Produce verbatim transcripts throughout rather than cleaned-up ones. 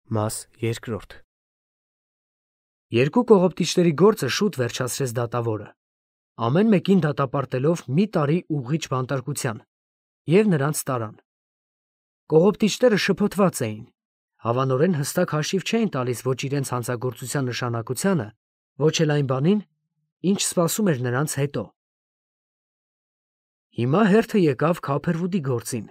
Մաս երկրորդ Երկու կողոպտիչների գործը շուտ վերջացրեց դատավորը, ամեն մեկին դատապարտելով մի տարի ուղղիչ բանտարկության, և նրանց տարան։ Կողոպտիչները շփոթված էին, հավանորեն հստակ հաշիվ չէին տալիս ոչ իրենց հանցագործության նշանակությանը, ոչ էլ այն բանին, ինչ սպասում էր նրանց հետո։ Հիմա հերթը եկավ Քափերվուդի գործին,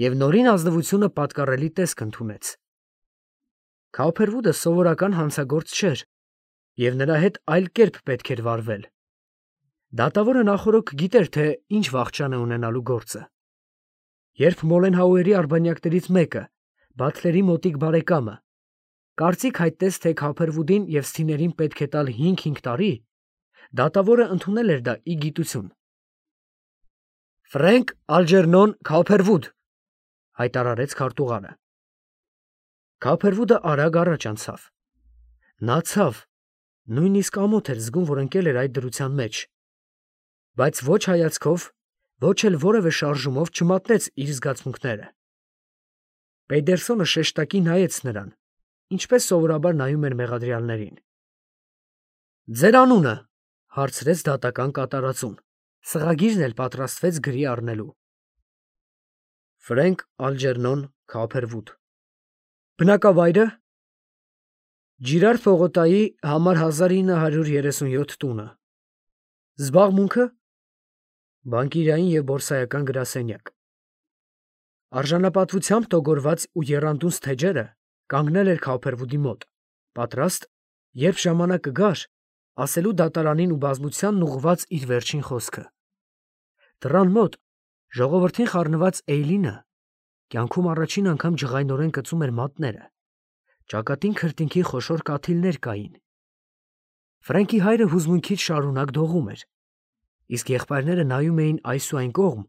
և նորին ազնվությունը պատկառելի տեսք ընդունեց։ Քափերվուդը սովորական հանցագործ չէր, և նրա հետ այլ կերպ պետք էր վարվել։ Դատավորը նախօրոք գիտեր, թե ինչ վախճան է ունենալու գործը։ Երբ Մոլենհաուերի արբանյակներից մեկը, Բաթլերի մոտիկ բարեկամը, կարծիք հայտնեց, թե Քափերվուդին և Սթիներին պետք է տալ հինգ֊հինգ տարի, դատավորը ընդունել էր դա ի գիտություն։ «Ֆրենկ Ալջերնոն Քափերվուդ», հայտարարեց քարտուղարը։ Քափերվուդը արագ առաջ անցավ։ Նա ցավ, նույնիսկ ամոթ էր զգում, որ ընկել էր այդ դրության մեջ, բայց ոչ հայացքով, ոչ էլ որևէ շարժումով չմատնեց իր զգացմունքները։ Պեյդերսոնը շեշտակի նայեց նրան, ինչպես սովորաբար նայում էր մեղադրյալներին։ «Ձեր անունը», հարցրեց դատական կատարածուն, սղագիրն էլ պատրաստվեց գրի առնելու։ «Ֆրենկ Ալջերնոն Քափերվուդ»։ Բնակավայրը՝ Ջիրարդ Պողոտայի համար հազար ինը հարյուր երեսունյոթ տունը։ Զբաղմունքը՝ բանկիրային և բորսայական գրասենյակ։ Արժանապատվությամբ տոգորված ու եռանդուն թեջերը կանգնել էր Քափերվուդի մոտ, պատրաստ, երբ ժամանակը գար, ասելու դատարանին ու բազմությանն ուղղված իր վերջին խոսքը։ Դռան մոտ ժողովրդին խառնված Էյլինը կյանքում առաջին անգամ ջղայնորեն կծում էր մատները, ճակատին քրտինքի խոշոր կաթիլներ կային։ Ֆրենկի հայրը հուզմունքից շարունակ դողում էր, իսկ եղբայրները նայում էին այս ու այն կողմ,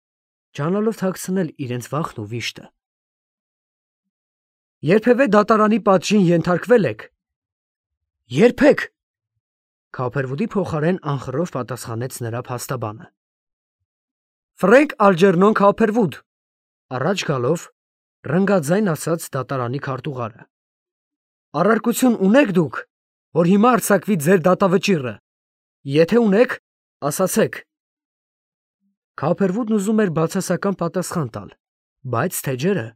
ջանալով թաքցնել իրենց վախն ու վիշտը։ «Երբևէ դատարանի պատժին ենթարկվե՞լ եք»։ «Երբեք», Քափերվուդի փոխարեն անխռով պատասխանեց նրա փաստաբանը։ «Ֆրենկ Ալջերնոն Քափերվուդ», առաջ գալով, ռնգաձայն ասաց դատարանի քարտուղարը։ «Առարկություն ունե՞ք դուք, որ հիմա արձակվի ձեր դատավճիռը։ Եթե ունեք, ասացեք»։ Քափերվուդն ուզում էր բացասական պատասխան տալ, բայց թեջերը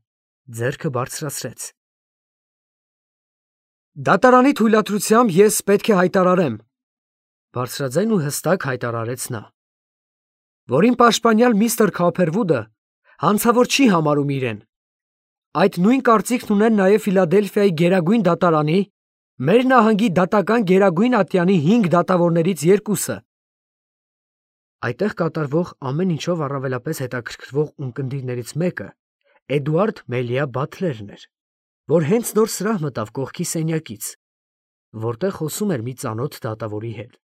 ձեռքը բարձրացրեց։ «Դատարանի թույլատրությամբ ես պետք է հայտարարեմ», բարձրաձայն ու հստակ հայտարարեց նա, «որ իմ պաշտպանյալ միստր Քափերվուդը հանցավոր չի համարում իրեն։ Այդ նույն կարծիքն ունեն նաև Ֆիլադելֆիայի գերագույն դատարանի, մեր նահանգի դատական գերագույն ատյանի հինգ դատավորներից երկուսը»։ Այդտեղ կատարվող ամեն ինչով առավելապես հետաքրքրվող ունկնդիրներից մեկը Էդուարդ Մելիա Բաթլերն էր, որ հենց նոր սրահ մտավ կողքի սենյակից, որտեղ խոսում էր մի ծանոթ դատավորի հետ։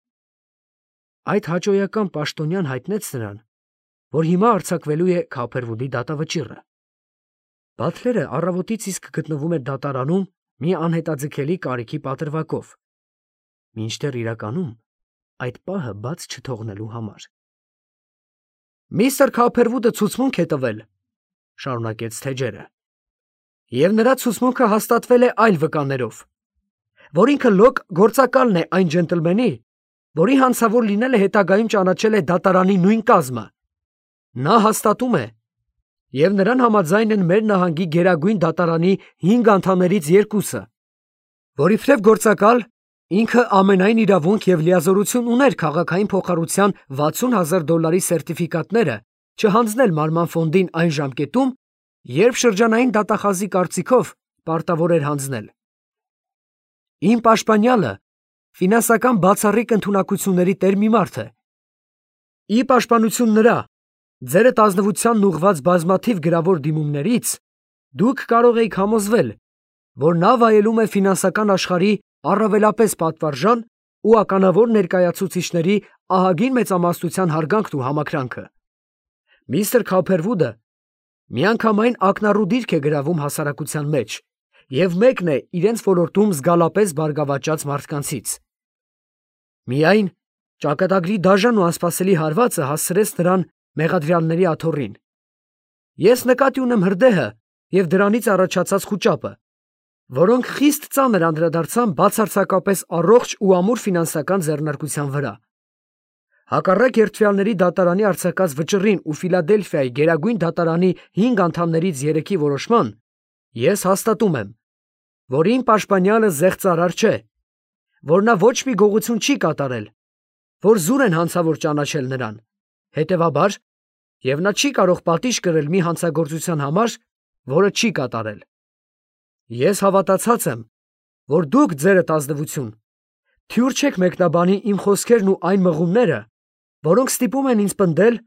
Այդ հաճոյական պաշտոնյան հայտնեց նրան, որ հիմա արձակվելու է Քափերվուդի դատավճիռը։ Բաթլերը առավոտից իսկ գտնվում էր դատարանում մի անհետաձգելի կարիքի պատրվակով, մինչդեռ իրականում այդ պահը բաց չթողնելու համար։ «Միստր Քափերվուդը ցուցմունք է տվել», շարունակեց թեջերը, «և նրա ցուցմունքը հաստատվել է այլ վկաներով, որ ինքը լոկ գործակալն է այն ջենտլմենի, որի հանցավոր լինելը հետագայում ճանաչել է դատարանի նույն կազմը։ Նա հաստատում է, և նրան համաձայն են մեր նահանգի գերագույն դատարանի հինգ անդամներից երկուսը, որ իբրև գործակալ ինքը ամենայն իրավունք և լիազորություն ուներ քաղաքային փոխառության վաթսուն հազար դոլարի սերտիֆիկատները չհանձնել մարման ֆոնդին այն ժամկետում, երբ շրջանային դատախազի կարծիքով պարտավոր էր հանձնել։ Իմ պաշտպանյալը ֆինանսական բացառիկ ընդունակությունների տեր մի մարդ է։ Ի պաշտպանություն նրա, ձերդ ազնվությանն ուղղված բազմաթիվ գրավոր դիմումներից դուք կարող էիք համոզվել, որ նա վայելում է ֆինանսական աշխարհի առավելապես պատվարժան ու ականավոր ներկայացուցիչների ահագին մեծամասնության հարգանքն ու համակրանքը։ Միստր Քափերվուդը միանգամայն ակնառու դիրք է գրավում հասարակության մեջ և մեկն է իրենց ոլորտում զգալապես բարգավաճած մարդկանցից։ Միայն ճակատագրի դաժան ու անսպասելի հարվածը հասցրեց նրան մեղադրյալների աթոռին։ Ես նկատի ունեմ հրդեհը և դրանից առաջացած խուճապը, որոնք խիստ ծանր անդրադարձան բացարձակապես առողջ ու ամուր ֆինանսական ձեռնարկության վրա։ Հակառակ երդվյալների դատարանի արձակած վճռին ու Ֆիլադելֆիայի գերագույն դատարանի հինգ անդամներից երեքի որոշման, ես հաստատում եմ, որ իմ պաշտպանյալը զեղծարար չէ, որ նա ոչ մի գողություն չի կատարել, որ զուր են հանցավոր ճանաչել նրան, հետևաբար, և նա չի կարող պատիժ կրել մի հանցագործության համար, որը չի կատարել։ Ես հավատացած եմ, որ դուք ձերդ ազնվություն թյուր չեք մեկնաբանի իմ խոսքերն ու այն մղումները, որոնք ստիպում են ինձ պնդել,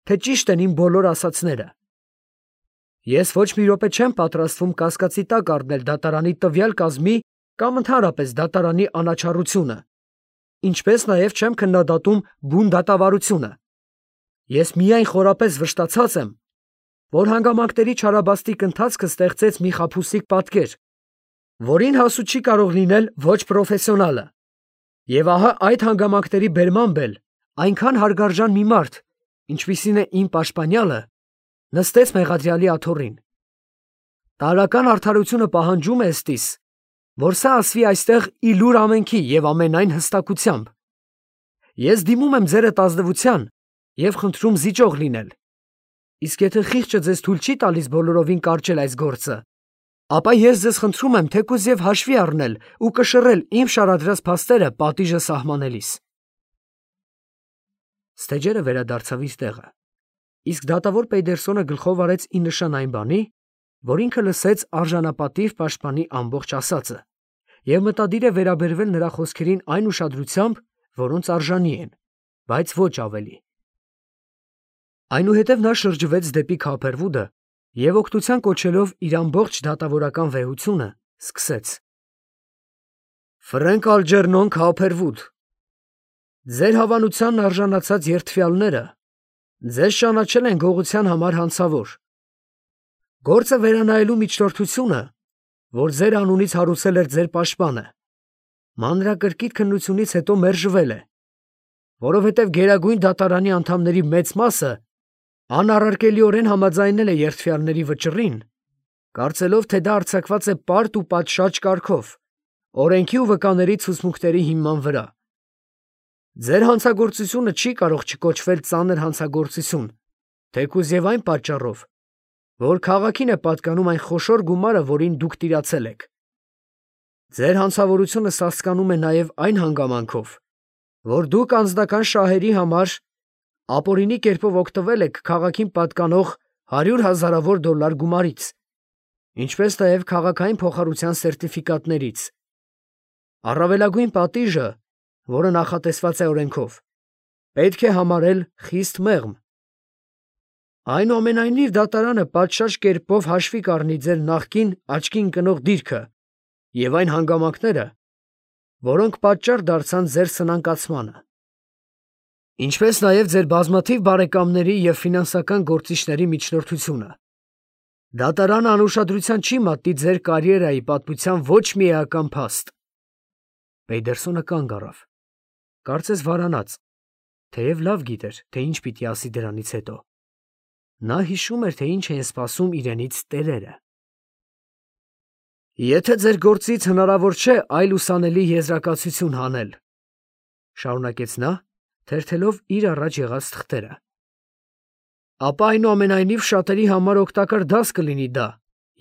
թե ճիշտ են իմ բոլոր ասածները։ Ես ոչ մի րոպե չեմ պատրաստվում կասկածի տակ առնել դատարանի տվյալ կազմի կամ ընդհանրապես դատարանի անաչառությունը, ինչպես նաև չեմ քննադատում բուն դատավարությունը։ Ես միայն խորապես վշտացած եմ, որ հանգամանքների չարաբաստիկ ընթացքը ստեղծեց մի խաբուսիկ պատկեր, որին հասու չի կարող լինել ոչ պրոֆեսիոնալը, և ահա այդ հանգամանքների բերմամբ էլ այնքան հարգարժան մի մարդ, ինչպիսին է իմ պաշտպանյալը, նստեց մեղադրյալի աթոռին։ Տարրական արդարությունը պահանջում է ըստիս, որ սա ասվի այստեղ ի լուր ամենքի և ամենայն հստակությամբ։ Ես դիմում եմ ձերդ ազնվության և խնդրում զիջող լինել, իսկ եթե խիղճը ձեզ թույլ չի տալիս բոլորովին կարճել այս գործը, ապա ես ձեզ խնդրում եմ թեկուզ և հաշվի առնել ու կշռել իմ շարադրած փաստերը պատիժը սահմանելիս։ Ստեջերը վերադարձավ իր տեղը, իսկ դատավոր Պեյդերսոնը գլխով արեց ի նշան այն բանի, որ ինքը լսեց արժանապատիվ պաշտպանի ամբողջ ասածը, և մտադիր է վերաբերվել նրա խոսքերին այն ուշադրությամբ, որոնց արժանի են, բայց ոչ ավելի։ Այնուհետև նա շրջվեց դեպի Քոփերվուդը և օգնության կոչելով իր ամբողջ դատավորական վեհությունը, սկսեց. Ֆրենկ Ալջերնոն Քոփերվուդ, ձեր հավանությանն արժանացած երդվյալները ձեզ ճանաչել են գողության համար հանցավոր։ Գործը վերանայելու միջնորդությունը, որ ձեր անունից հարուցել էր ձեր պաշտպանը, մանրակրկիտ քննությունից հետո մերժվել է, որովհետև գերագույն դատարանի անդամների մեծ մասը անառարկելիորեն համաձայնել է երդվյալների վճռին, կարծելով, թե դա արձակված է պարտ ու պատշաճ կարգով, օրենքի ու վկաների ցուցմունքների հիման վրա։ Ձեր հանցագործությունը չի կարող չկոչվել ծանր հանցագործություն, թեկուզ և այն պատճառով, որ քաղաքին է պատկանում այն խոշոր գումարը, որին դուք տիրացել եք։ Ձեր հանցավորությունը սասկանում է նաև այն հանգամանքով, որ դուք անձնական շահերի համար ապօրինի կերպով օգտվել եք քաղաքին պատկանող հարյուր հազարավոր դոլար գումարից, ինչպես նաև քաղաքային փոխառության սերտիֆիկատներից։ Առավելագույն պատիժը, որը նախատեսված է օրենքով, պետք է համարել խիստ մեղմ։ Այնուամենայնիվ դատարանը պատշաճ կերպով հաշվի կառնի ձեր նախկին աչքի ընկնող դիրքը և այն հանգամանքները, որոնք պատճառ դարձան ձեր սնանկացմանը, ինչպես նաև ձեր բազմաթիվ բարեկամների և ֆինանսական գործիչների միջնորդությունը։ Դատարանը անուշադրության չի մատնի ձեր կարիերայի պատմության ոչ մի էական փաստ։ Պեյդերսոնը կանգ առավ, կարծես վարանած, թեև լավ գիտեր, թե ինչ պիտի ասի դրանից հետո։ Նա հիշում էր, թե ինչ էին սպասում իրենից տերերը։ Եթե ձեր գործից հնարավոր չէ այլ ուսանելի եզրակացություն հանել, շարունակեց նա, թերթելով իր առաջ եղած թղթերը, ապա այնուամենայնիվ շատերի համար օգտակար դաս կլինի դա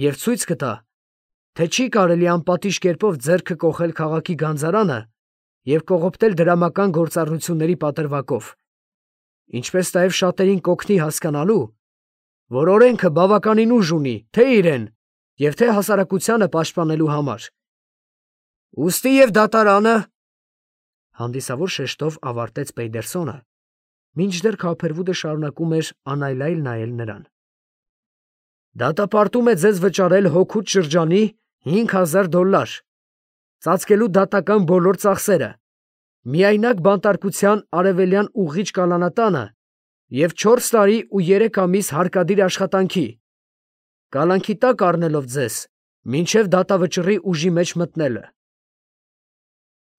և ցույց կտա, թե չի կարելի անպատիժ կերպով ձեռքը կոխել քաղաքի գանձարանը և կողոպտել դրամական գործառնությունների պատրվակով, ինչպես նաև շատերին կօգնի հասկանալու, որ օրենքը բավականին ուժ ունի թե իրեն և թե հասարակությանը պաշտպանելու համար։ Ուստի և դատարանը, հանդիսավոր շեշտով ավարտեց Պեյդերսոնը, մինչդեռ Քոփերվուդը շարունակում էր անայլայլ նայել նրան, դատապարտում է ձեզ վճարել հոգուց շրջանի հինգ հազար դոլար, ծածկելու դատական բոլոր ծախսերը, միայնակ բանտարկության արևելյան ուղղիչ կալանատանը և չորս տարի ու երեք ամիս հարկադիր աշխատանքի, կալանքի տակ առնելով ձեզ մինչև դատավճռի ուժի մեջ մտնելը։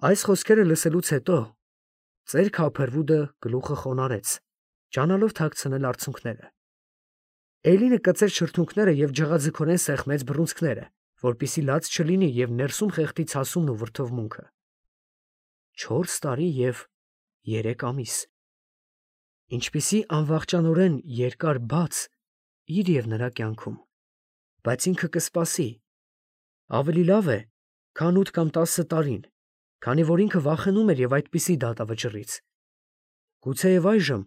Այս խոսքերը լսելուց հետո ծեր Քոփերվուդը գլուխը խոնարհեց, ջանալով թաքցնել արցունքները։ Էլինը կծեց շրթունքները և ջղաձգորեն սեղմեց բռունցքները, որպեսզի լաց չլինի և ներսում խեղդի ցասումն ու վրդովմունքը։ Չորս տարի և երեք ամիս։ Ինչպիսի անվախճանորեն երկար բաց իր և նրա կյանքում, բայց ինքը կսպասի։ Ավելի լավ է, քան ութ կամ տասը տարին, քանի որ ինքը վախենում էր և այդպիսի դատավճռից։ Գուցեև այժմ,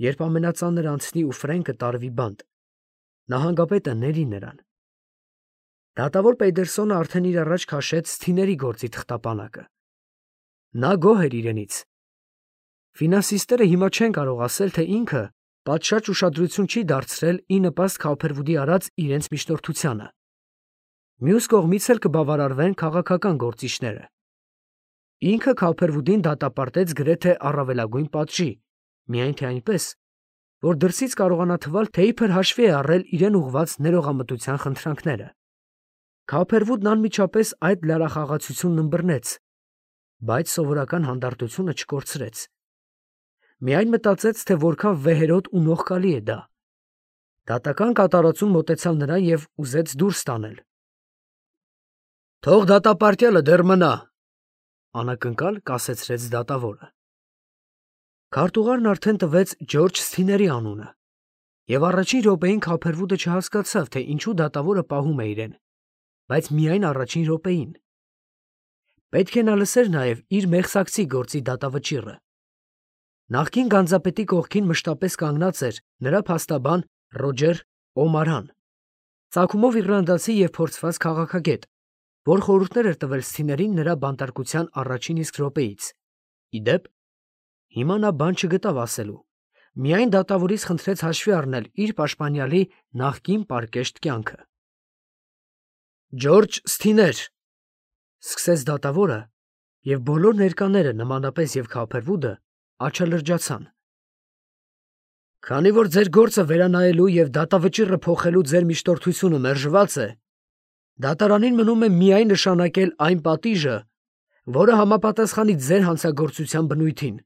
երբ ամենածանր անցնի ու Ֆրենկը տարվի բանտ, նահանգապետը ների նրան։ Դատավոր Պեյդերսոնը արդեն իր առաջ քաշեց Սթիների գործի թղթապանակը։ Նա գոհ էր իրենից։ Ֆինանսիստները հիմա չեն կարող ասել, թե ինքը պատշաճ ուշադրություն չի դարձրել ի նպաստ Քոփերվուդի արած իրենց միջնորդությանը։ Մյուս կողմից էլ կբավարարվեն քաղաքական գործիչները։ Ինքը Քոփերվուդին դատապարտեց գրեթե առավելագույն պատժի, միայն թե այնպես, որ դրսից կարողանա թվալ, թե իբր հաշվի է առել իրեն ուղղված ներողամտության խնդրանքները։ Քոփերվուդն անմիջապես այդ լարախաղացությունն ըմբռնեց, բայց սովորական հանդարտությունը չկորցրեց։ Միայն մտածեց, թե որքան վեհերոտ ու նողկալի է դա։ Դատական կատարածուն մոտեցավ նրան և ուզեց դուրս տանել։ «Թող դատապարտյալը դեռ մնա», անակնկալ կասեցրեց դատավորը։ Քարտուղարն արդեն տվեց Ջորջ Սթիների անունը, և առաջին րոպեին Քոփերվուդը չհասկացավ, թե ինչու դատավորը պահում է իրեն, բայց միայն առաջին րոպեին։ Պետք է նա լսեր նաև իր մեղսակցի գործի դատավճիռը։ Նախկին գանձապետի կողքին մշտապես կանգնած էր նրա փաստաբան Ռոջեր Օմարան, ծագումով իռլանդացի և փորձված քաղաքագետ, որ խորհուրդներ էր տվել Սթիներին նրա բանտարկության առաջին իսկ րոպեից։ Ի դեպ, հիմա նա բան չգտավ ասելու, միայն դատավորից խնդրեց հաշվի առնել իր պաշտպանյալի նախկին պարկեշտ կյանքը։ «Ջորջ Սթիներ», սկսեց դատավորը, և բոլոր ներկաները, նմանապես և Քոփերվուդը, աչալրջացան։ «Քանի որ ձեր գործը վերանայելու և դատավճիռը փոխելու ձեր միջնորդությունը մերժված է, դատարանին մնում է միայն նշանակել այն պատիժը, որը համապատասխանի ձեր հանցագործության բնույթին։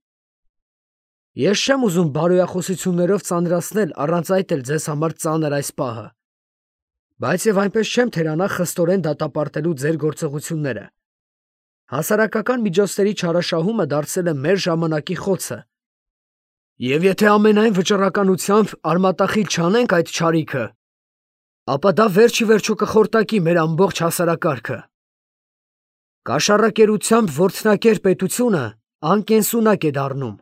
Ես չեմ ուզում բարոյախոսություններով ծանրացնել առանց այդ էլ ձեզ համար ծանր այս պահը, բայց և այնպես չեմ թերանա խստորեն դատապարտելու ձեր գործողությունները։ Հասարակական միջոցների չարաշահումը դարձել է մեր ժամանակի խոցը, և եթե ամենայն վճռականությամբ արմատախիլ չանենք այդ չարիքը, ապա դա վերջիվերջո կխորտակի մեր ամբողջ հասարակարգը։ Կաշառակերությամբ որդնակեր պետությունը անկենսունակ է դառնում։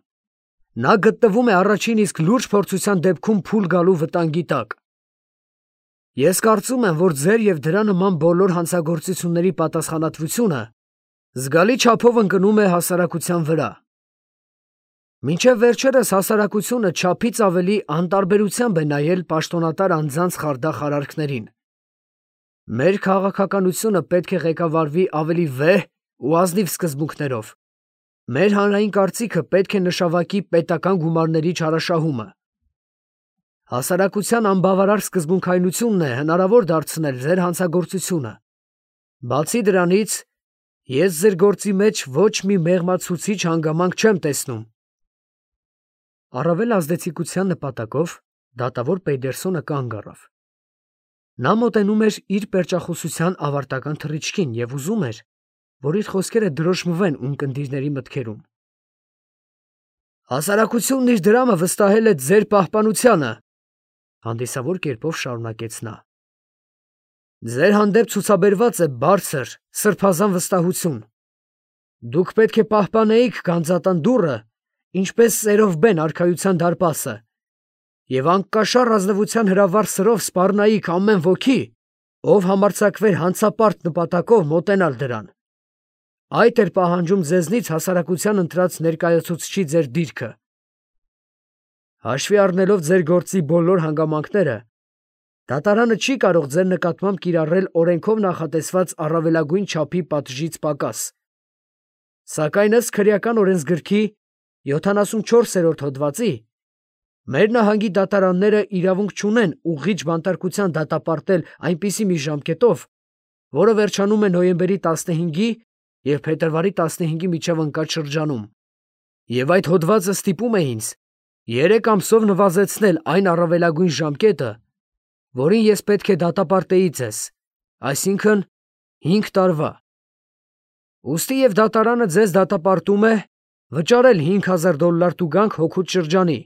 Նա գտնվում է առաջին իսկ լուրջ փորձության դեպքում փուլ գալու վտանգի տակ։ Ես կարծում եմ, որ ձեր և դրա նման բոլոր հանցագործությունների պատասխանատվությունը զգալի չափով ընկնում է հասարակության վրա։ Մինչև վերջերս հասարակությունը չափից ավելի անտարբերությամբ է նայել պաշտոնատար անձանց խարդախ արարքներին։ Մեր քաղաքականությունը պետք է ղեկավարվի ավելի վեհ ու ազնիվ սկզբունքներով։ Մեր հանրային կարծիքը պետք է նշավակի պետական գումարների չարաշահումը։ Հասարակության անբավարար սկզբունքայնությունն է հնարավոր դարձնել ձեր հանցագործությունը։ Բացի դրանից, ես ձեր գործի մեջ ոչ մի մեղմացուցիչ հանգամանք չեմ տեսնում։ Առավել ազդեցիկության նպատակով դատավոր Պեյդերսոնը կանգ առավ։ Նա մոտենում էր իր պերճախոսության ավարտական թռիչքին և ուզում էր, որ իր խոսքերը դրոշմվեն ունկնդիրների մտքերում։ «Հասարակությունն իր դրամը վստահել է ձեր պահպանությանը», հանդիսավոր կերպով շարունակեց նա։ «Ձեր հանդեպ ցուցաբերված է բարձր, սրբազան վստահություն։ Դուք պետք է պահպանեիք գանձատան դուռը, ինչպես ծերով բեն արքայության դարպասը, և անկաշառ ազնվության հրավառ սրով սպառնայիք ամեն ոքի, ով համարձակվեր հանցապարտ նպատակով մոտենալ դրան։ Այդ էր պահանջում ձեզնից հասարակության ընտրած ներկայացուցչի ձեր դիրքը։ Հաշվի առնելով ձեր գործի բոլոր հանգամանքները, դատարանը չի կարող ձեր նկատմամբ կիրառել օրենքով նախատեսված առավելագույն չափի պատժից պակաս։ Սակայն ըստ քրեական օրենսգրքի յոթանասունչորսերորդ հոդվածի մեր նահանգի դատարանները իրավունք չունեն ուղղիչ բանտարկության դատապարտել այնպիսի մի ժամկետով, որը վերջանում է նոյեմբերի տասնհինգի և փետրվարի տասնհինգի միջև ընկած շրջանում, և այդ հոդվածը ստիպում է ինձ երեք ամսով նվազեցնել այն առավելագույն ժամկետը, որին ես պետք է դատապարտեի ձեզ, այսինքն հինգ տարվա։ Ուստի և դատարանը ձեզ դատապարտում է վճարել հինգ հազար դոլար տուգանք հոգուց շրջանի։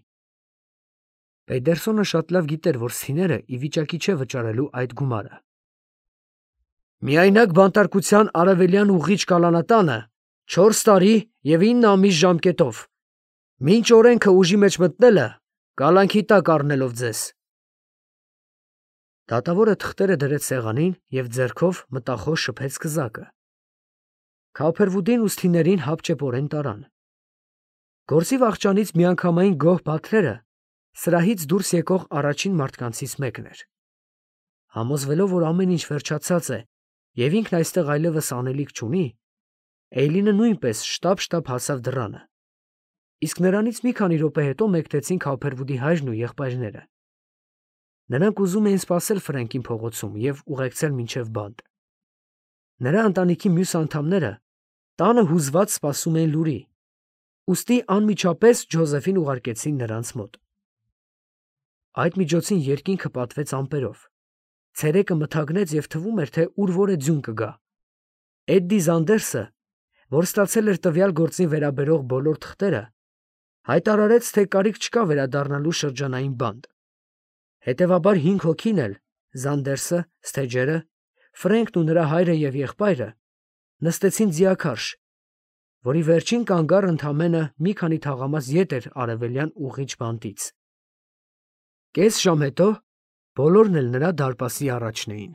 Պեյդերսոնը շատ լավ գիտեր, որ Սիները ի վիճակի չէ վճարելու այդ գումարը։ Միայնակ բանտարկության արևելյան ուղիչ կալանատանը չորս տարի և ինը ամիս ժամկետով, մինչ օրենքը ուժի մեջ մտնելը, կալանքի տակ առնելով ձեզ։ Դատավորը թղթերը դրեց սեղանին և ձեռքով մտախոս շփեց կզակը։ Քափերվուդին ուսթիներին հապճեպորեն տարան։ Գործի վախճանից միանգամայն գոհ Բաթլերը սրահից դուրս եկող առաջին մարդկանցից մեկն էր։ Համոզվելով, որ ամեն ինչ վերջացած է և ինքն այստեղ այլևս անելիք չունի, Էյլինը նույնպես շտապ-շտապ հասավ դռանը, իսկ նրանից մի քանի րոպե հետո մեկնեցին Քափերվուդի հայրն ու եղբայրները։ Նրանք ուզում էին սպասել Ֆրենկին փողոցում և ուղեկցել մինչև բանտ։ Նրա ընտանիքի մյուս անդամները տանը հուզված սպասում էին լուրի, ուստի անմիջապես Ջոզեֆին ուղարկեցին նրանց մոտ։ Այդ միջոցին երկինքը պատվեց ամպերով, ցերեկը մթագնեց և թվում էր, թե ուր որ է ձյուն կգա։ Էդդի Զանդերսը, որ ստացել էր տվյալ գործին վերաբերող բոլոր թղթերը, հայտարարեց, թե կարիք չկա վերադառնալու շրջանային բանտ։ Հետևաբար հինգ հոգին էլ՝ Զանդերսը, Սթեջերը, Ֆրենկն ու նրա հայրը և եղբայրը, նստեցին ձիաքարշ, որի վերջին կանգառը ընդամենը մի քանի թաղամաս ետ էր արևելյան ուղիչ բանտից։ Կես ժամ հետո բոլորն էլ նրա դարպասի առաջն էին։